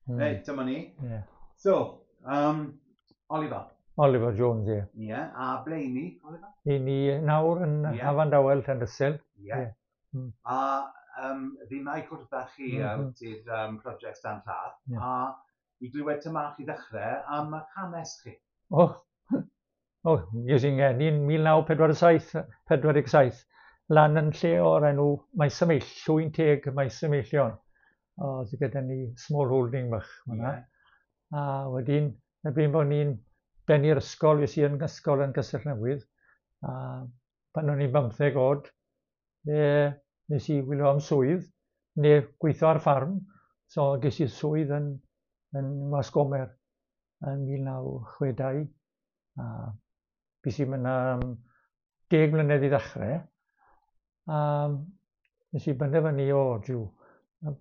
Reit, dyma ni. Yeah. So, Oliver. Oliver Jones, ie. Yeah. Ie, yeah. A ble i ni, Oliver? I ni nawr yn yeah. Hafan Dawel, Llandysul. Ie. Yeah. Yeah. A fi mai cwrdd â chi ti'r prosiect Dan Lladd, yeah. A i glywed tymach i ddechrau am eich hanes chi. Oh, oh, ges i'n ngeni yn 1947, 47, lan yn lle o'r enw Maes y Meill, Llwyn Teg Maes y Meillion. Oedd gyda ni small holding bach fan'na. Yeah. A wedyn, erbyn bod ni'n bennu'r ysgol, fues i yn ysgol yn Castell Newydd, a pan o'n i'n 15 oed, fe nes i wylio am swydd, neu gweithio ar ffarm, so ges i swydd yn Wasgomer yn 1962, a fues i fyna am 10 mlynedd i ddechrau, a nes i benderfynu, o, jiw,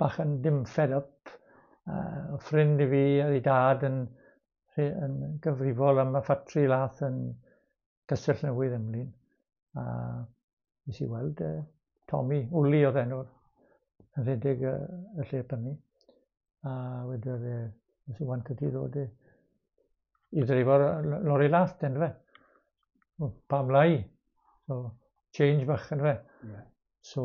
bach yn dim fed up, ffrind i fi a ei dad yn gyfrifol am y ffatri lath yn Castell Newydd Emlyn, a nes i weld Tommy, Wli oedd enw'r, yn rhedeg y lle prynu, a wedodd e, nes i want ti ddod i ddreifo'r lori lath, den fe. O, pam lai? So, change bach yn fe. Yeah. So,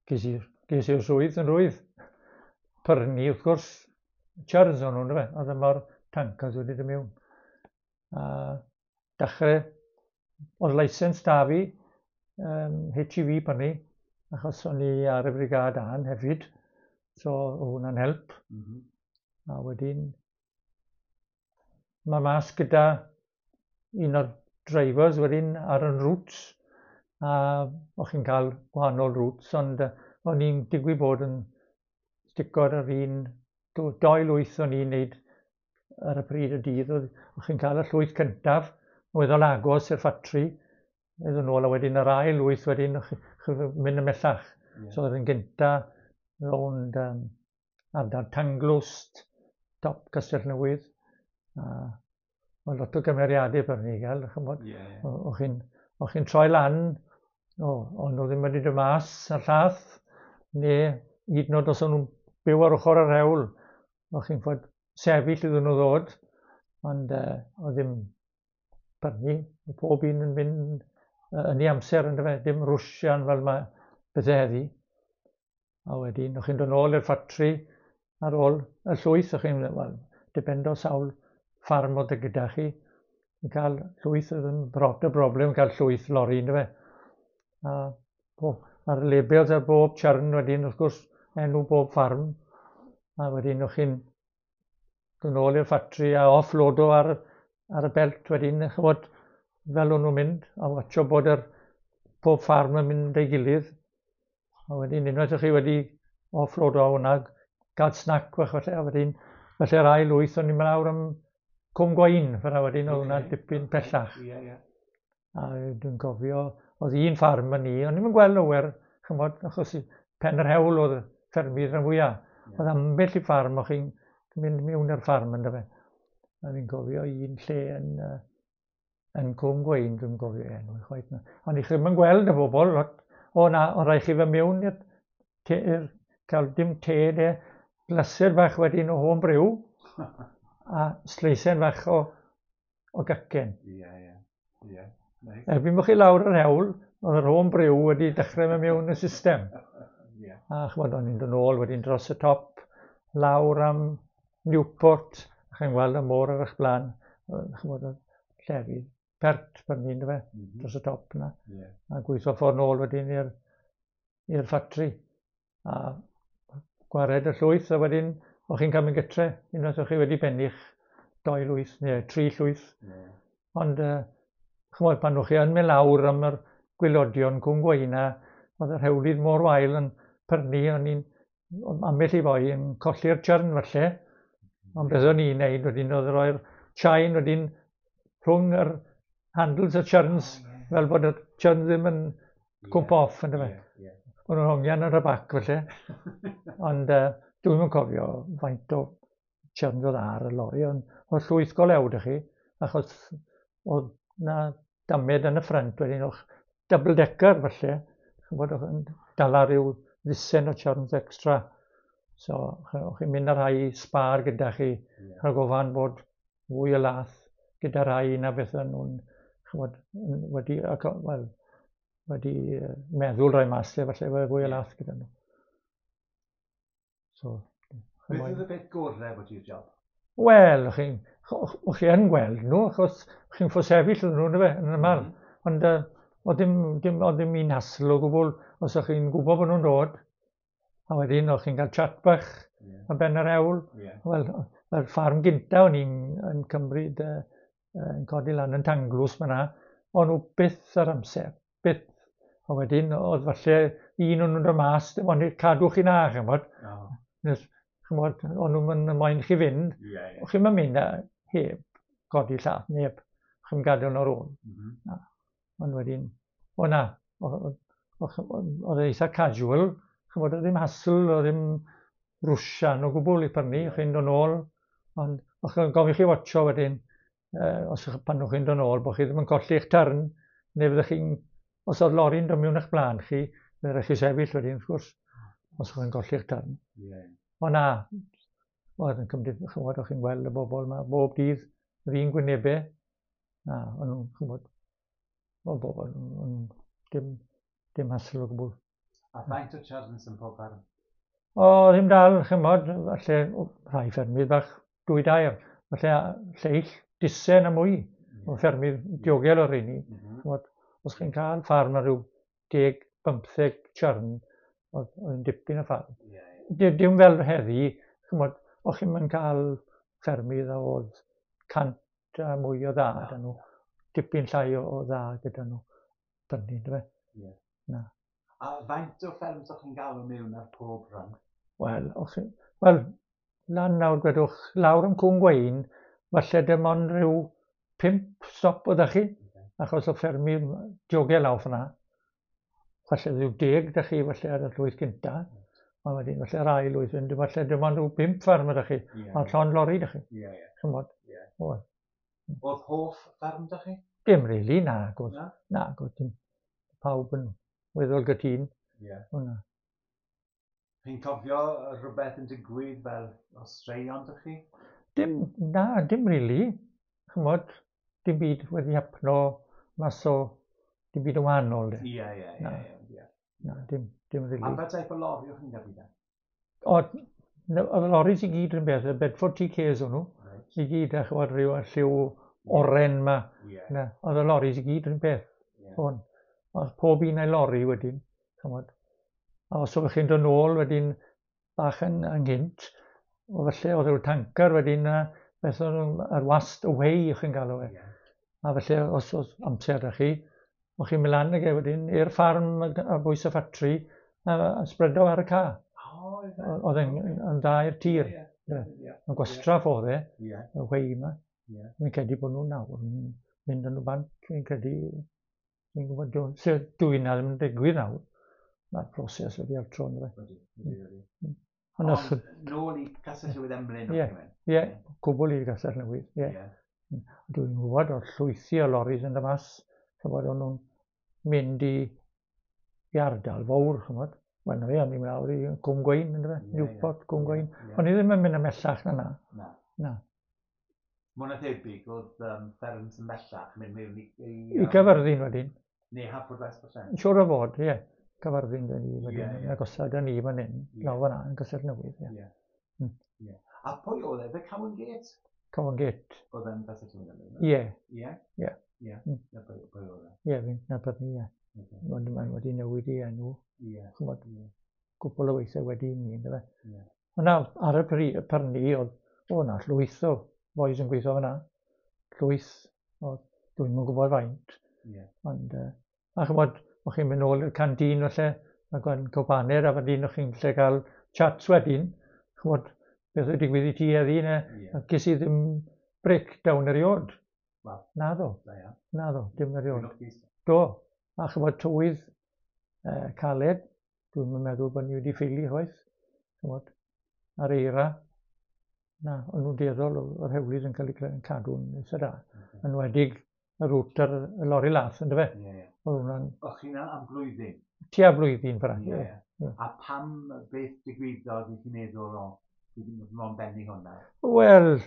ges i'r swydd yn rwydd. Pyrni, wrth gwrs, churns o'n nhw'n fe, oedd yma'r tankers wedi dod mewn. A dechrau, oedd licence da fi, HGV prynu, achos o'n i ar y brigad an hefyd, so oedd hwnna'n help. A wedyn, mae mas gyda un o'r drivers wedyn ar yn routes, a o'ch chi'n cael gwahanol routes, ond o'n i'n digwydd bod yn stico ar yr un, doi lwyth o'n i'n neud ar y pryd y dydd, o'ch chi'n cael y llwyth cyntaf, weddol agos i'r ffatri, iddyn nôl, a wedyn yr ail lwyth wedyn, o'ch chi'n mynd ymhellach. Yeah. So oedd yn gynta rownd ardal Tanglwst, top Castell Newydd, a oedd lot o gymeriadau byrni i gael, chymod. Yeah, yeah. O'ch chi'n troi lan, o'n nhw ddim wedi dod mas ar llath, neu hyd yn oed os o'n nhw'n byw ar ochr yr hewl, o'ch chi'n fod sefyll iddyn nhw ddod, ond oedd ddim prynu, oedd pob un yn mynd yn ei amser, yn fe, dim rwsian fel mae bethau heddi. A wedyn, o'ch chi'n dod nôl i'r ffatri ar ôl y llwyth, o'ch chi'n, wel, dependo sawl ffarm oedd gyda chi, yn cael llwyth oedd yn brot y broblem, cael llwyth lori, ynddo fe. A a'r labels ar bob churn wedyn, wrth gwrs, enw bob ffarm. A wedyn, o'ch chi'n dod nôl i'r ffatri a offloado ar y belt wedyn, chymod, fel o'n nhw'n mynd, a watcho bod yr pob ffarm yn mynd ei gilydd. A wedyn, unwaith o'ch chi wedi offloado hwnna, gael snack fach falle, a wedyn, felly'r ail lwyth o'n i'n mynd lawr am Cwm Gwaun, fyna wedyn, oedd hwnna dipyn pellach. Ie, ie. A dwi'n cofio, oedd un ffarm yn ni, o'n i'n gweld lawer, chymod, achos pen yr hewl oedd ffermydd rhan fwyaf. Yeah. Oedd ambell i ffarm, o'ch chi'n mynd mewn i'r ffarm yn dyfe. A fi'n cofio un lle yn Cwm Gwein, dwi'n cofio enw i chwaith. Ond i chi ddim yn gweld y bobl, lot, o na, ond rhaid chi fy mewn i'r cael dim te de, glasur bach wedyn o home brew, a sleisen fach o gacen. Ie, ie. Ie. Nice. Erbyn bod chi lawr yr hewl, oedd yr home brew wedi dechrau mynd mewn y system. Yeah. A chymod, o'n i'n dod nôl wedyn dros y top, lawr am Newport, a chi'n gweld y môr ar eich blaen, chymod, oedd llefydd pert fan hyn, fe, dros y top yna. Yeah. A gweithio ffordd nôl wedyn i'r ffatri. A gwared y llwyth, a wedyn o'ch chi'n cael mynd gytre, unwaith o'ch chi wedi benni'ch 2 lwyth neu 3 llwyth. Yeah. Ond, chymod, pan o'ch chi yn mynd lawr am yr gwylodion Cwm Gweina, oedd yr hewlydd mor wael yn pyrnu, o'n i'n ambell i foi yn colli'r churn falle. Ond beth o'n i'n neud wedyn oedd roi'r chain wedyn rhwng yr handles y churns, fel bod y churn ddim yn cwmpo off, yndyfe? Yeah, yeah. O'n nhw'n hongian ar y bac felly. Ond dwi'm yn cofio faint o churns oedd ar y lori, ond oedd llwyth go lew 'da chi, achos oedd na damed yn y ffrynt wedyn, o'ch double decker falle, ch'mod, o'ch yn dala rhyw ddisen o churns extra. So, o'ch chi'n mynd â rhai sbar gyda chi, rhag ofan bod fwy o lath gyda rhai na beth o'n nhw'n, chymod, wedi, well, wedi meddwl rhoi mas lle, falle fwy o lath gyda nhw. So, Beth oedd y peth gorau bod i'r job? Wel, chi'n chi yn gweld nhw, achos chi'n ffosefyll nhw, ynddo fe, yn ymwneud. Ond oedd dim, dim, oedd ddim un hassle o gwbl, os o'ch chi'n gwybod bod nhw'n dod, a wedyn o'ch chi'n cael chat bach ar ben yr hewl. Wel, yr ffarm gynta o'n i'n yn cymryd, yn codi lan yn Tanglws fyna, o'n nhw byth ar amser, byth. A wedyn, oedd falle un o'n nhw'n dod mas, dim ond cadw chi na, chymod. Oh. Nes, chymod, o'n nhw'n moyn chi fynd. Yeah, yeah. Chi'n mynd a heb godi llath, neb. Chi'n gadael nhw'r ôl. Na. Ond wedyn, o na, oedd e eitha casual, chymod, oedd ddim hassle, oedd ddim rwsian o gwbl i prynu, chi'n dod nôl, ond o'ch chi'n gofyn chi watcho wedyn, os ych, pan o'ch chi'n dod nôl, bod chi ddim yn colli eich turn, neu fyddech chi'n, os oedd lori'n dod mewn eich blaen chi, fydde rhaid chi sefyll wedyn, wrth gwrs, os o'ch chi'n colli eich turn. O na, oedd yn cymryd, chymod, o'ch chi'n gweld y bobl yma bob dydd, yr un gwynebau, na, o'n nhw'n, chymod, o bobl, o'n dim, dim hassle o gwbl. A faint o churns yn pob fferm? O, ddim dal, chymod, falle rhai ffermydd bach, dwy dair, falle lleill, disen a mwy o ffermydd diogel o'r rheini. Chymod, os chi'n cael ffarm ar ryw 10-15 churn, oedd yn dipyn o ffarm. Dim fel heddi, chymod, o'ch chi'n mynd cael ffermydd a oedd 100 a mwy o dda gyda nhw, dipyn llai o dda gyda nhw. Prynu, yndyfe? Na. A faint o fferms o'ch chi'n galw mewn ar pob rhan? Wel, o'ch chi... Wel, lan nawr, gwedwch, lawr yn Cwm Gwein, falle dim ond rhyw 5 stop oedd chi, achos o ffermydd diogel lawr fyna. Falle rhyw 10 da chi, falle ar y llwyth gynta. Ond wedyn, falle ar ail lwyth, wedyn, falle dim ond rhyw 5 fferm ydych chi, ond llond lori da chi. Chymod? Oedd. Oedd hoff fferm da chi? Dim really, na. Gwrs. Na? Na, gwrs, dim. Pawb yn weddol gytûn. O, na. Chi'n cofio rhywbeth yn digwydd fel o straeon da chi? Dim, na, dim really. Chymod, dim byd wedi hapno mas o, dim byd yn wahanol, de. Ie, ie, ie, ie, ie. Na, dim, dim really. A pa type o lori o'ch chi'n gyrru de? O, oedd y loris i gyd yn beth, y Bedford TKs o'n nhw, i gyd, a chymod, rhyw lliw oren ma. Na, oedd y loris i gyd yn beth. O'n. Oedd pob un a'i lori wedyn, chymod. A os oeddech chi'n dod nôl wedyn bach yn ynghynt, o falle oedd rhyw tanker wedyn, a beth oedd yr wast away o'ch chi'n galw e. A felly os oedd amser da chi, o'ch chi'n mynd lan ag e wedyn i'r ffarm ar bwys y ffatri a spredo ar y ca. Oedd e'n yn dda i'r tir. Yn gwastraff oedd e, y whey yma. Fi'n credu bod nhw nawr yn mynd yn y bant, fi'n credu, fi'n gwybod, dwi na ddim yn digwydd nawr. Mae'r proses wedi altro yn fe. Wedi. Ond nôl i Castell Newydd Emlyn. Ie, ie, cwbl i Castell Newydd, ie. Dwi'n gwybod o'r llwythi o loris yn mas, chymod, o'n nhw'n mynd i ardal fawr, chymod. Wel, na fe, o'n i'n mynd lawr i Cwm Gwein, yndyfe? Newport, Cwm Gwein. O'n i ddim yn mynd ymhellach na na. Na. Na. Mwy na thebyg, oedd fferms ymhellach yn mynd mewn i... I Gaerfyrddin wedyn. Neu Hafford West, falle. Siŵr o fod, ie. Caerfyrddin dyn ni wedyn, yn agosad â ni fan hyn, lawr fan'na, yn Castell Newydd, ie. A pwy oedd e? Fe Cowan Gate? Cowan Gate. Oedd e'n Castell Newydd, yndyfe? Ie. Ie? Ie. Ie. Na pwy oedd e? Ie, fi'n nabod ni, ie. Ond mae'n wedi newid i enw. Ch'mod, cwpl o weithiau wedi ni, yndyfe? Ond na, ar y prynu, oedd, o na, llwyth o boys yn gweithio fyna. Llwyth, o, dwi'n yn gwybod faint. Ond, a ch'mod, o'ch chi'n mynd nôl i'r canteen falle, a gwa'n cwpaned, a wedyn o'ch chi'n lle cael chats wedyn. Ch'mod, beth oedd digwydd i ti heddi, ne? A ges i ddim breakdown eriod. Wel. Naddo. Da iawn. Naddo, dim eriod. Dwi'n lwcus. Do, a ch'mod, tywydd caled, dwi'n meddwl bod ni wedi ffeili chwaith, ch'mod, ar eira. Na, o'n nhw'n dueddol o'r hewlydd yn cael eu cadw'n eitha da. Yn enwedig y rwt ar y lori lath, yndyfe? Ie, ie. Oedd hwnna'n O'ch chi 'na am blwyddyn? Tua blwyddyn, fara, ie. Yeah. A pam beth digwyddodd i chi meddwl, o, fi ddim yn benni hwnna? Wel,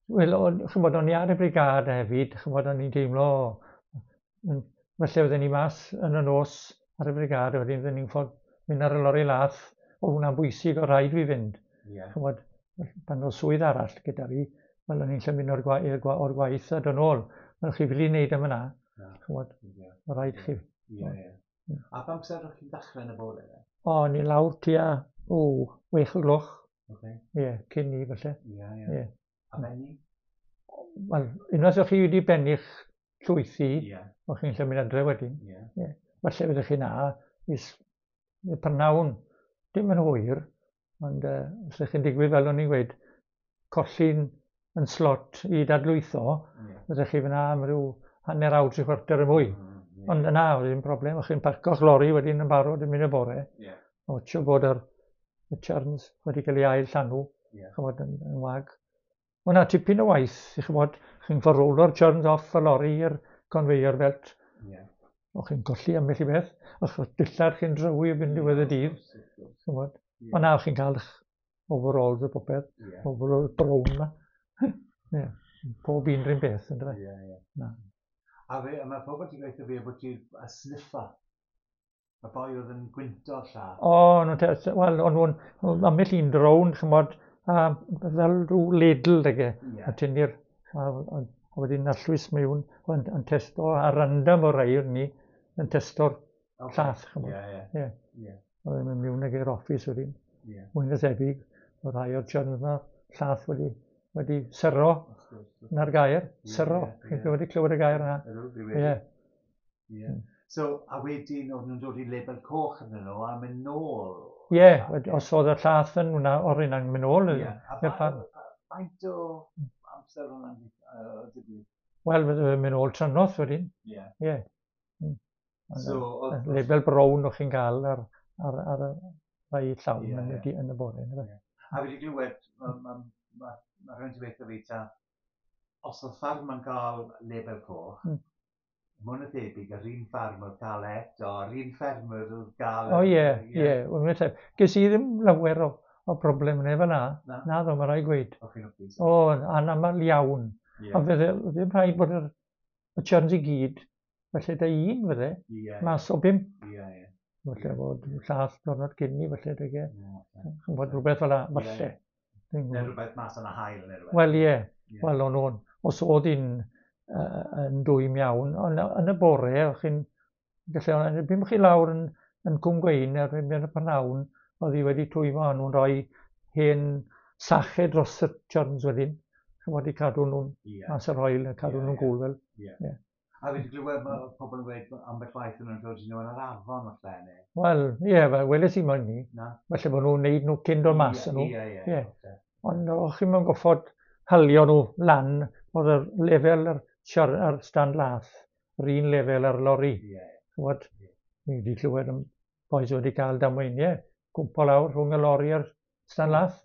Wel, ch'mod, o'n i ar y brigâd hefyd, ch'mod, o'n i'n teimlo, falle fydden ni mas yn y nos ar y brigâd, a wedyn fydden ni'n ffordd mynd ar y lori lath, o hwnna'n bwysig, o rhaid fi fynd. Ch'mod, pan oedd swydd arall gyda fi, wel, o'n i'n lle mynd o'r, gwa gwa o'r gwaith a dod nôl. Wel, chi ffili wneud am yna, ch'mod, o rhaid chi. Ie, ie. A pa amser o'ch chi'n dechrau yn y bore? O, o'n i lawr tua, o, 6 o'r gloch. Ie, cyn ni, falle. Ie, ie. A benni? Wel, unwaith o'ch chi wedi benni'ch llwythi, o'ch chi'n lle mynd adre wedyn. Yeah. Falle fyddech chi na, is y prynhawn, dim yn hwyr, ond os ydych chi'n digwydd fel o'n i'n gweud, colli'n yn slot i dadlwytho, fyddech chi fyna am ryw hanner awr, tri chwarter y mwy. Ond yna, oedd ddim problem, o'ch chi'n parco'ch lori wedyn yn barod yn mynd y bore. O, tio bod y churns wedi cael ei ail llanw, ch'mod, yn wag. Wel na, tipyn o waith, i ch'mod, chi'n ffordd rowlo'r churns off y lori i'r conveyor belt. O, chi'n colli ambell i beth. O'ch dillad chi'n drywi erbyn diwedd y dydd. Ch'mod. Ond na, chi'n cael eich overalls a popeth. Overalls brown ma. Ie. Pob un rhywun beth, ynddo fe? Ie, ie. Na. A fe, a mae pobl wedi gweithio fi bod ti a sniffer. Y boi oedd yn gwynto'r llath. O, nhw'n wel, o'n nhw'n, ambell un drone, ch'mod, a fel rhyw ladle, ag e, a tynnu'r, a wedyn arllwys mewn, yn testo, a random o rai o'n ni, yn testo'r llath, ch'mod. Ie, ie. Ie. Oedd e'n mynd mewn ag i'r office wedyn. Mwy na thebyg, oedd rhai o'r churns yma, llath wedi syro, na'r gair, syro. Chi'n wedi clywed y gair yna? Ydw, dwi wedi. Ie. Ie. So, a wedyn oedd nhw'n dod i label coch arnyn nhw a mynd nôl. Ie, os oedd y llath yn hwnna, o'r un yn mynd nôl A i'r ffarm. faint o amser hwnna'n digwydd? Wel, fydde fe'n mynd nôl tranoth wedyn. Ie. So, oedd Label brown o'ch chi'n gael ar y rhai llawn yn y, yn y bore. yndyfe? A fi wedi glywed, mae ma, ma, ma rhywun wedi gweithio fi ta, os oedd ffarm yn cael label coch, mwy na thebyg, yr un ffarm oedd cael eto, yr un ffermwr oedd gael. O ie, ie. Wel, mae'n tebyg. Ges i ddim lawer o broblem neu fel na. Na? Na ddo, mae rhaid gweud. O, chi'n lwcus. O, anaml iawn. A fydde, ddim rhaid bod y churns i gyd, felly da un fydde, mas o bump. Ie, ie. Falle bod llath diwrnod cyn ni, falle, dy Ie, ie. Ch'mod, rhywbeth fel 'na, falle. Dwi'n Neu gwbod. rhywbeth mas yn y haul neu rhywbeth. Wel, ie. Wel, o'n nhw'n, os oedd hi'n yn dwym iawn, ond yn y bore, o'ch chi'n gallu, erbyn bod chi lawr yn Cwm Gwein, erbyn y prynhawn, oedd hi wedi twymo, a nhw'n rhoi hen sachau dros y churns wedyn, ch'mod, i cadw nhw'n mas yr haul, a cadw nhw'n gŵl fel. Ie. A fi wedi glywed mae pobl yn gweud ambell waith yn nhw'n dod i nhw yn yr afon falle, neu? Wel, ie, fel weles i moyn ni. Na. Falle bod nhw'n neud nhw cyn dod mas yn nhw. Ie, ie, Ie. Ond o'ch chi'n mewn goffod halio nhw lan, oedd y lefel yr, ar stand lath, yr un lefel ar lori. Ch'mod, ni wedi clywed am bois wedi cael damweiniau, gwmpo lawr rhwng y lori a'r stand lath.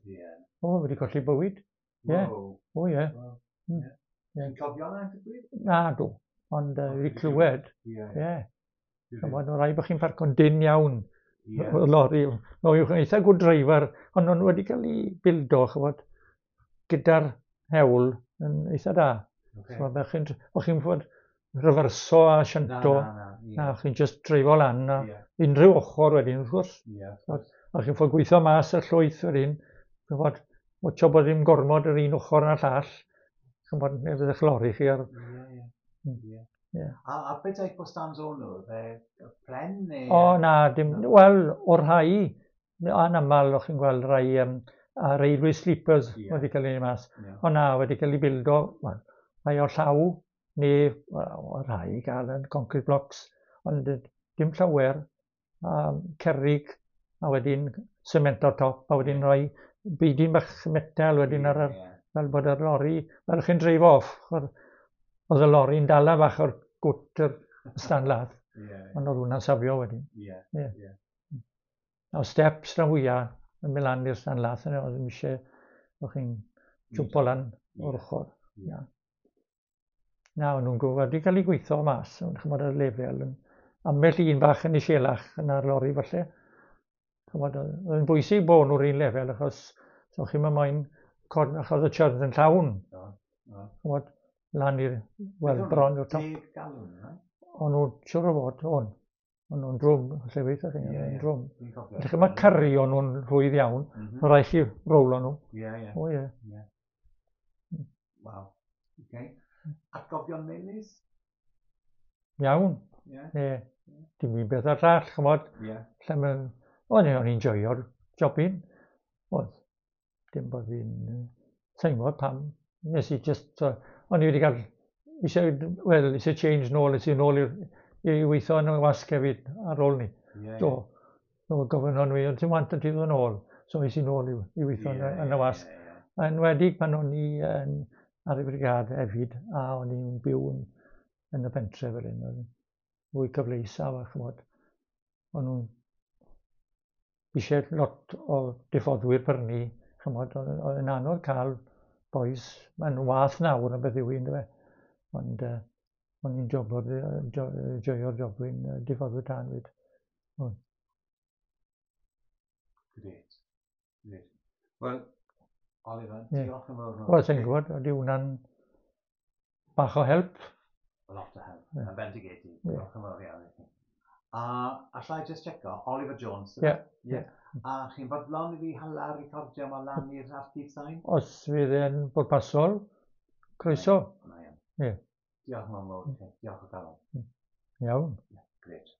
O, wedi colli bywyd. Ie. Wow. O, ie. Wow. Ie. Ti'n cofio hwnna'n digwydd? Na, dw. Ond wedi clywed. Ie. Ch'mod, mae rhaid bod chi'n parco'n dyn iawn. Y lori. No, yw'n eitha good driver, ond nhw'n wedi cael ei bildo, ch'mod, gyda'r hewl yn eitha da. So, o'ch chi'n fod referso a sianto. Na, na, na. Na, chi'n just dreifo lan a unrhyw ochr wedyn, wrth gwrs. A chi'n fod gweithio mas y llwyth wedyn, ch'mod, watcho bod ddim gormod yr un ochr na'r llall. Ch'mod, neu fydd eich lori chi ar. Ie, ie. Ie. Ie. A beth type o stands o'n nhw? Fe pren neu? O, na, dim, wel, o'r rhai, anaml o'ch chi'n gweld rhai a railway sleepers wedi cael eu mas. O na, wedi cael eu bildo, wel, rhai o llaw, neu wel, o rhai gael yn concrete blocks, ond dim llawer, cerrig, a wedyn cement o'r top, a wedyn rhoi beidin bach metal wedyn ar yr, fel bod yr lori, fel chi'n dreifo off, oedd y lori'n dala bach o'r gwt yr stand lath, ond oedd hwnna'n safio wedyn. Ie. O steps rhan fwyaf yn mynd lan i'r stand lath, yna, oedd ddim eisiau, o'ch chi'n jwmpo lan o'r ochr. Na. Na, o'n nhw'n gwybod, wedi cael eu gweithio mas, ond ch'mod y lefel, yn ambell un bach yn iselach yn ar lori falle. Chymod, oedd yn bwysig bod nhw'r un lefel, achos so chi'n mynd moyn cod, achos y churns yn llawn. Do, do. Chymod, lan i'r, wel, bron i'r top. 10 galwn, right? O'n nhw, siwr o fod, o'n. O'n nhw'n drwm, lle weithio chi, o'n nhw'n drwm. Fi'n cofio. Felly mae cario nhw'n rhwydd iawn, mae rhaid chi rowlo nhw. Ie, ie. O ie. Ie. Waw. Okay. Atgofion melys? Iawn. Ie. Ie. Dim un beth ar llall, chymod. Ie. Lle mae... O'n i'n joio'r jobyn. Oedd. Dim bod fi'n Sa'n gwybod pam. Nes i just... O'n i wedi cael... Eisiau, wel, eisiau change nôl, eisiau nôl i'r, i weithio yn y wasg hefyd ar ôl ni. Ie, Do. Do, gofyn o'n fi, ond ti'n want ti ddod nôl. So es i nôl i weithio yn y wasg. Ie, ie. Yn enwedig pan o'n i yn, ar y brigad hefyd, a o'n i'n byw yn y pentre fel hyn, oedd yn fwy cyfleus a chymod, o'n nhw'n eisiau lot o diffoddwyr prynu, chymod, oedd yn anodd cael boys, mae'n wath nawr yn beth yw hi, yndyfe? Ond o'n i'n joio'r jobyn diffoddwyr tân fyd. Grêt. Grêt. Wel, Oliver, Ie. diolch yn fawr. Wel, sa'n gwybod, ydy hwnna'n bach o help? A lot o help. Ie. Yn bendigedig. Ie. Diolch yn fawr iawn i chi. A allai just checo, Oliver Jones. Ie. Ie. A chi'n fodlon i fi hala recordio yma lan i'r archif sain? Os fydd e'n bwrpasol, croeso. Mae yn. Ie. Diolch yn fawr i chi. Diolch o galon. Iawn. Grêt.